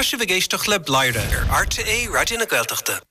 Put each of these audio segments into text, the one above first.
Tá sibh ag éisteacht le Bladhaire ar RTÉ Raidió na Gaeltachta.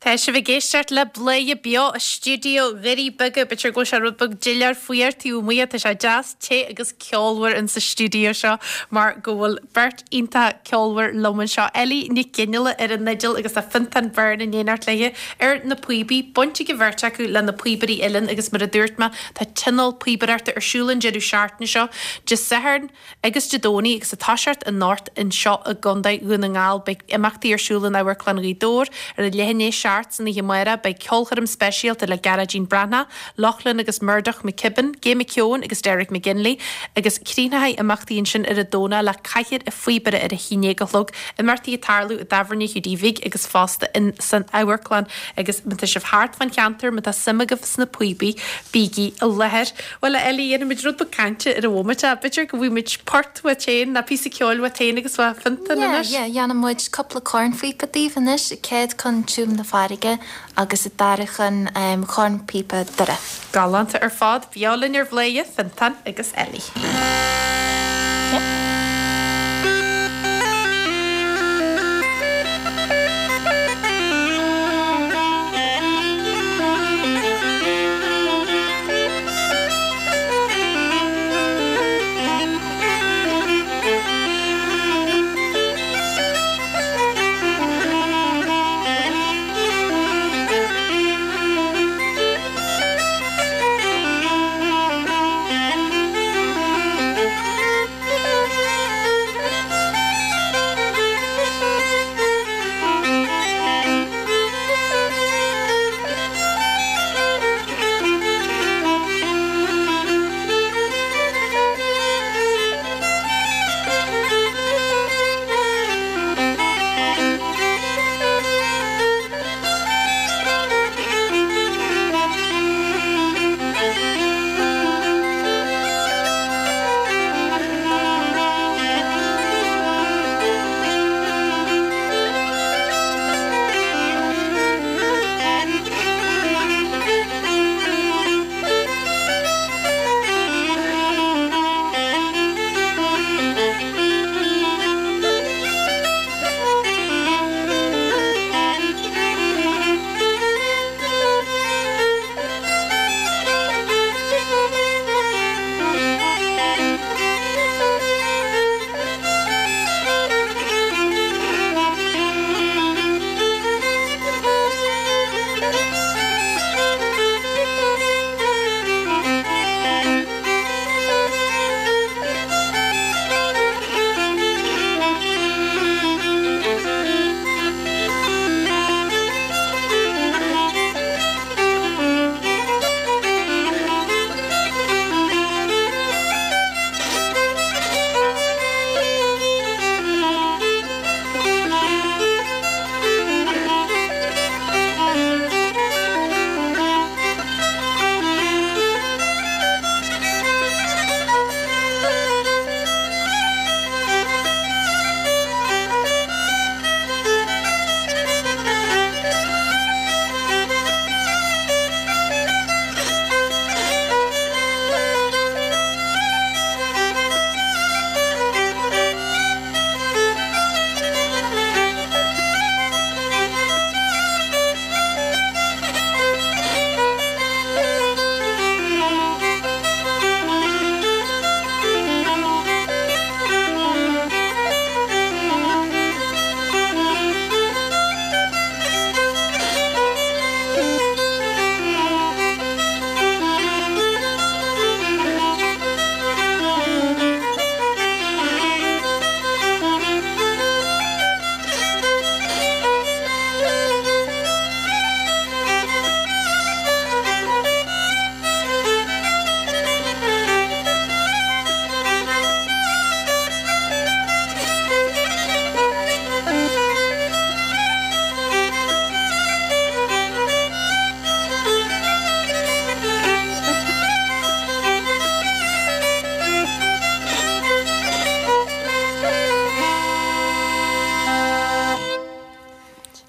Tá sibh ag éisteacht le Bladhaire Beo i stiúideo Dhoirí Beaga. B'fhéidir go bhfuil sé rud beag doiléir fuar taobh amuigh ach tá sé deas te agus ceolmhar in sa stiúideo seo mar go bhfuil beirt iontach ceolmhar liom anseo, Ellie Nic Fhionnghaile ar an fhidil agus tá Fiontán Byrne in éineacht léi ar na píobaí. Baint ag an bheirt acu le na Píobairí Uilleann agus mar a dúirt mé tá tionól píobaireachta ar siúl an deireadh seachtaine seo, Dé Sathairn, Agus Dé Domhnaigh agus ag toiseacht anocht anseo i gContae Dhún na nGall beidh imeachtaí ar siúl in Amharclann Ghaoth Dobhair ar a leath i ndiaidh 7 san oíche amárach. Beidh ceolchoirm speisialta le Gearóidín Breathnach, Lochlainn agus Murdoch McKibben, Gay McKeown agus Derek McGinley agus críochnóidh imeachtaí ansin ar an Domhnach le Cathaoir an Phíobaire ar a haon déag a chlog. Imeachtaí ag tarlú i dTábhairne Hiúdaí Bhig agus fosta in san amharclann agus má tá sibh thart fán cheantar, má tá suim agaibh sna píobaí, bígí i láthair. Bhuel, a Ellie, dhéanfaimid rud beag cainte ar an bhomaite. B'fhéidir go bhfaighimid port uait féin, nó píosa ceoil uait féin agus uaidh Fionntán anois? Yeah, yeah, dhéanfaidh muid cúpla cornphíopa daoibh anois, an chéad cheann Tiúin na Farraige agus an dara ceann Cornphíopa Doire. Galánta ar fad. Beo linn ar Bhladhaire, Fiontán agus Ellie.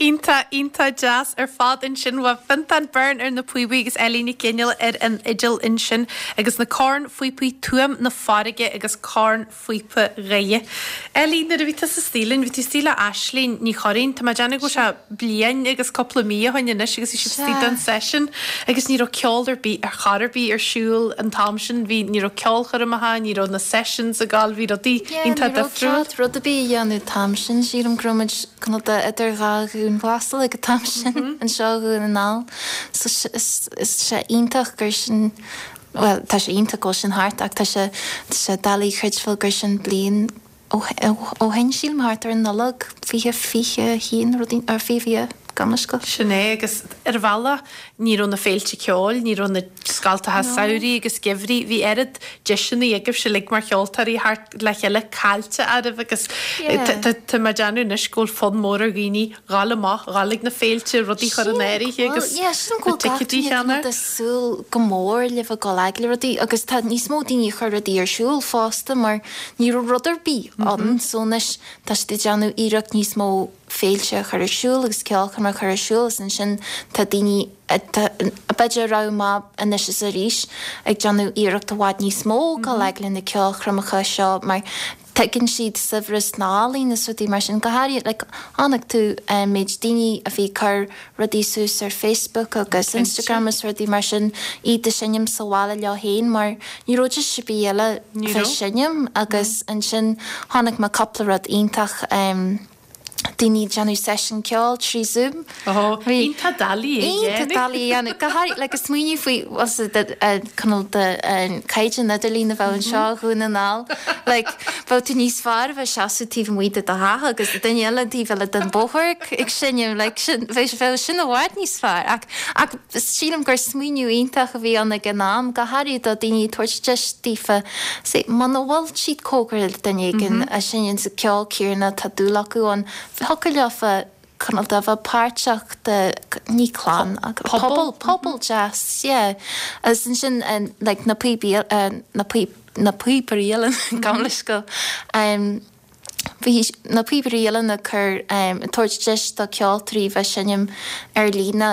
Iontach, iontach deas ar fad ansin. Bhuel, Fiontán Byrne ar na píobaí agus Ellie Nic Fhionnghaile ar an fhidil ansin agus na cornphíopaí Tuaim na Farraige agus Cornphíopa Dhoire. Ellie, nuair a bhí tusa istigh linn, bhí tú istigh le Aisling Ní Churraoin, tá mé ag déanamh go bhfuil sé bliain agus cúpla mí ó shin anois agus bhí sibh istigh don session agus ní raibh ceol ar bith ar chor ar bith ar siúl an t-am sin, bhí, ní raibh ceolchoirmeacha, ní raibh na sessions ag gabháil, bhí rudaí Yeah, ní iontach raibh difriúil. cead rud ar bith a dhéanamh an t-am sin, sílim go raibh muid cineál de idir dhá dhianghlasáil ag an t-am sin anseo i Dhún na nGall. So is is sé iontach gur sin, bhuel tá sé iontach go bhfuil sin thart ach tá sé tá sé doiligh a chreidbheáil gur sin bliain ó ó shin, sílim, thart ar an Nollaig 2021, rudaí, or 2020, gabh mo leithscéal. Sin é, agus ar bhealach ní raibh na féilte ceoil, ní raibh na scoltacha samhraidh agus geimhridh, bhí oiread deiseanna agaibhse uilig mar cheoltóirí theacht le chéile caillte oraibh agus tá mé ag déanamh anois go bhfuil fonn mór ar dhaoine dhul amach, dhul ag na féilte, rudaí a chur in áirithe agus na ticéidí a cheannach. Ag súil go mór le bheith ag dul ag rudaí agus tá níos mó daoine ag cur rudaí ar siúl fosta mar ní raibh rud ar bith ann so anois tá siad ag déanamh iarracht níos mó féilte a chur ar siúl agus ceolchoirmeacha a chur ar siúl agus ansin tá daoine b'fhéidir a raibh amach anois is arís ag déanamh iarracht i bhfad níos mó dul ag le na ceolchoirmeacha seo mar tuigeann siad saibhreas na n-ealaíon is rudaí mar sin go háirithe like chonaic tú an méid daoine a bhí ag cur rudaí suas ar Facebook agus Instagram is rudaí mar sin, iad ag seinm sa bhaile leo féin mar ní raibh deis ar bith eile bheith seinm agus ansin chonaic mé cúpla rud iontach daoine ag déanamh seisiún ceoil trí Zoom. Ó, iontach doiligh é a dhéanamh. Iontach doiligh é a dhéanamh. Go háirithe, like, ag smaoineamh faoi, bhuel, sa, cineál de caighdeán idirlín a bheadh anseo i Dhún na nGall, like, bheadh tú níos fearr a bheith seasamh taobh amuigh de do theach agus duine eile an taobh eile den bóthar ag seinm, like, sin, bheadh, bheadh sin i bhfad níos fearr. Ach, ach sílim gur smaoineamh iontach a bhí ann ag an am, go háirithe do daoine tabhairt deis daofa, say, muna bhfuil siad cóngarach le duine éigin a seinneann sa ceol céanna tá dúil acu ann, thiocfadh leofa cineál de bheith páirteach de, ní clann ach pobal, pobal deas, yeah. Agus ansin like na píobaí, na píob, na píobairí uilleann, gabh mo leithscéal, bhí na píobairí uilleann ag cur, ag tabhairt deis do ceoltóirí bheith seinm ar líne,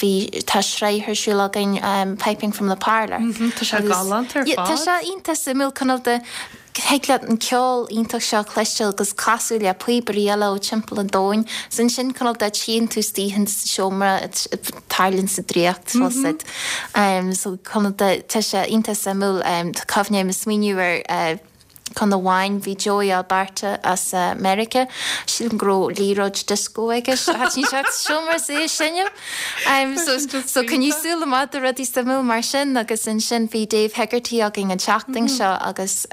bhí, tá sraith ar siúl againn Piping from the Parlour. Tá sé galánta ar fad. Tá sé iontach suimiúil, cineál de, Thig leat an ceol iontach seo a chloisteáil agus casadh le píobairí eile ó timpeall an domhain. Is ansin cineál de tchíonn tú istigh sa seomra tarlaíonn sa draíocht bhfuil 's a'd. So cineál de tá sé iontach suimiúil. Tá cuimhne agam ag smaoineamh ar ceann amháin bhí Joey Alberta as Meiriceá. Sílim go raibh liathróid disco aige. Thaitin sé sa seomra is é ag seinm. So so coinnigh súil amach do rudaí suimiúil mar sin agus ansin bhí Dave Hegarty againn an tseachtain seo agus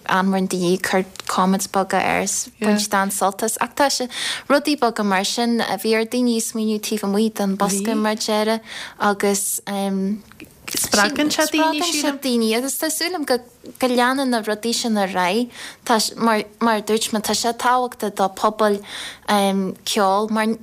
an-mhór daoine ag cur comments beaga air is bhain siad an-sult as ach tá sé rudaí beaga mar sin a bhí ar daoine smaoineamh taobh amuigh den bosca mar a déarfá agus Spreagann sé daoine spreagann sé daoine agus tá súil agam go go leanann na rudaí sin ar aghaidh tá mar mar a dúirt mé tá sé tábhachtach do pobail ceoil mar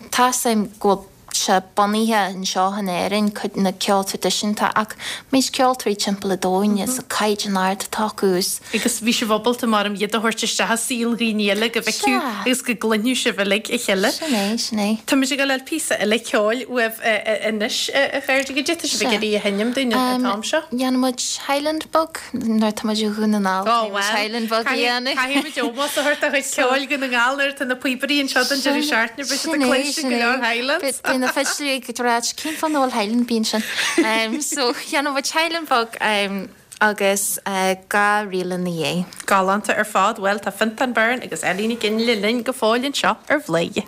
Tá's a'm go bhfuil sé bunaithe anseo in Éirinn, cuid na ceol traidisiúnta, ach méid ceoltóirí timpeall an domhain is an caighdeán ard atá acu is. Agus bhí sibh ábalta mar iad a thabhairt isteach i saol dhaoine eile go bhfeicfeadh agus go gcluinfeadh sibh uilig a chéile. Sin é, sin é. Tá muid ag dul a fháil píosa eile ceoil uaibh anois, a chairde, goidé atá sibh ag iarraidh a sheinm dúinn an t-am seo? Dhéanfaidh muid Highland Bug. Nuair atá muid i Dhún na nGall, caithfidh muid Highland Bug a dhéanamh. Caithfidh muid ómós a thabhairt do chuid ceoil Dhún na nGall nuair atá na píobairí anseo don deireadh seachtaine, beidh siad ag cluinstin go leor Highlands. Beidh na fidléirí ag ráit, cén fáth nach bhfuil Highland ar bith ansin? So, dhéanfaidh muid Highland Bug agus 2 ríl ina dhiaidh. Galánta ar fad. Bhuel, tá Fiontán Byrne agus Ellie Nic Fhionnghaile linn go fóill anseo ar Bhladhaire.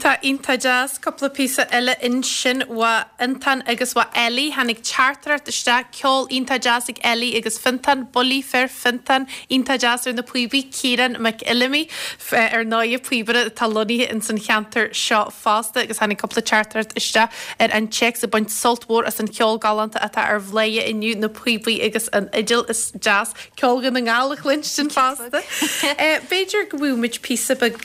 Iontach, iontach deas. Cúpla píosa eile ansin ó Fhiontán agus ó Ellie. Tháinig teachtaireacht isteach, ceol iontach deas ag Ellie agus Fiontán, Buillí Fir Fiontán, iontach deas ar na píobaí, Ciarán Mac Fheilimí, ar ndóighe píobaire atá lonnaithe ins an cheantar seo fosta agus tháinig cúpla teachtaireacht isteach ar an téacs ag baint sult mhór as an cheol galánta atá ar Bhladhaire inniu, na píobaí agus an fhidil is deas. Ceol Dhún na nGall a chluinstin fosta. B'fhéidir go bhfaighidh muid píosa beag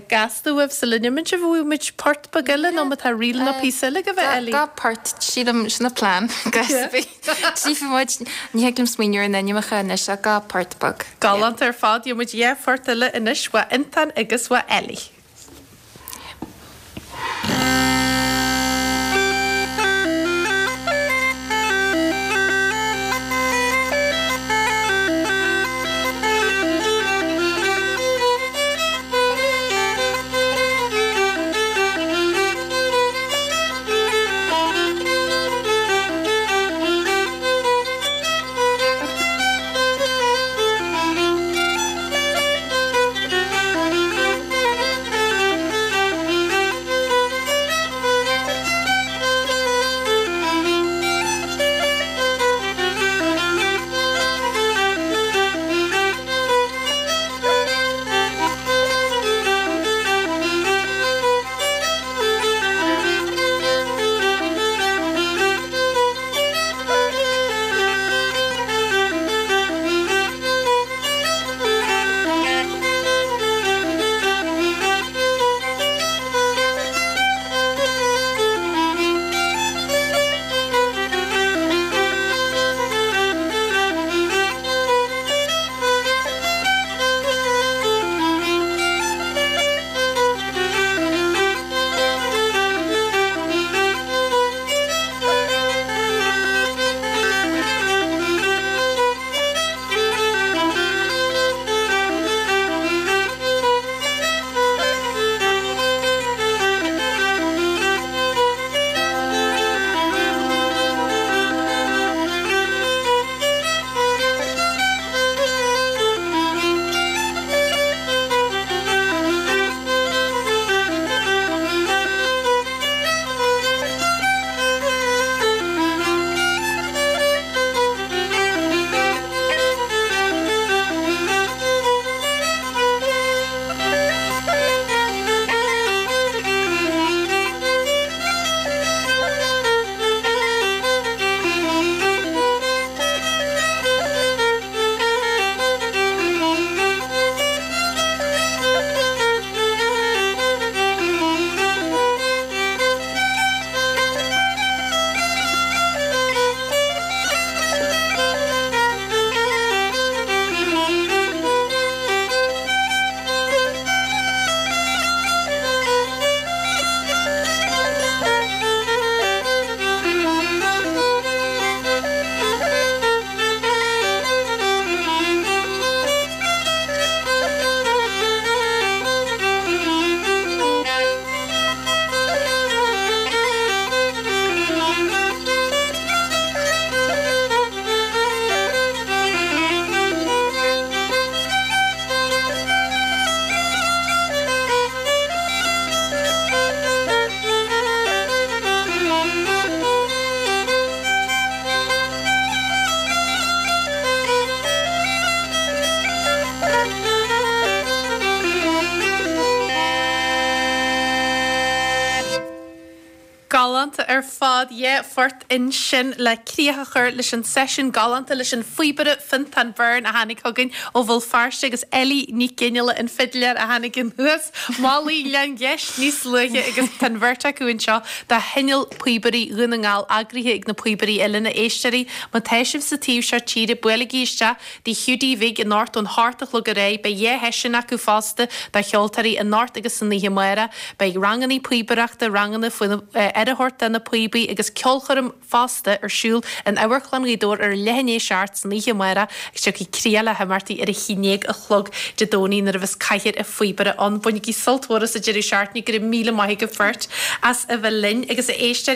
gasta uaibh sula n-imíonn sibh, an bhfaighidh muid port beag eile nó má tá ríl nó píosa eile agaibh, Ellie? Gá port, sílim, sin an plean. Tchífidh muid, ní thig liom smaoineamh ar na hainmneacha anois ach gá port beag. Galánta ar fad, gheobhaidh muid dhá phort eile anois, ó Fhiontán agus ó Ellie. Galánta ar fad, yeah, phort ansin le críoch a chur leis an seisiún galánta leis an phíobaire Fiontán Byrne a tháinig chugainn ó Bhéal Feirste agus Ellie Nic Fhionnghaile an fidléir a tháinig anuas Malaidh Ghleann Gheis níos luaithe agus tá an bheirt acu anseo do Thionól Píobairí Dhún na nGall eagraithe ag na Píobairí Uilleann. A éisteoirí, má tá sibh sa taobh seo tíre, buailigí isteach Tigh Hiúdaí Bhig anocht ón hocht a chlog ar aghaidh. Beidh dhá sheisiún acu fosta do cheoltóirí anocht agus san oíche amárach. Beidh rangannaí píobaireachta, ranganna faoi aire a thabhairt do na píobaí agus ceolchoirm fosta ar siúl in Amharclann Ghaoth Dobhair ar a leath i ndiaidh a seacht san oíche amárach agus tiocfaidh críoch le himeachtaí ar a haon déag a chlog Dé Domhnaigh nuair a bheas Cathaoir an Phíobaire ann. Bainigí sult mhór as an deireadh seachtaine. Go raibh míle maith agaibh beirt as a bheith linn agus a éisteoirí.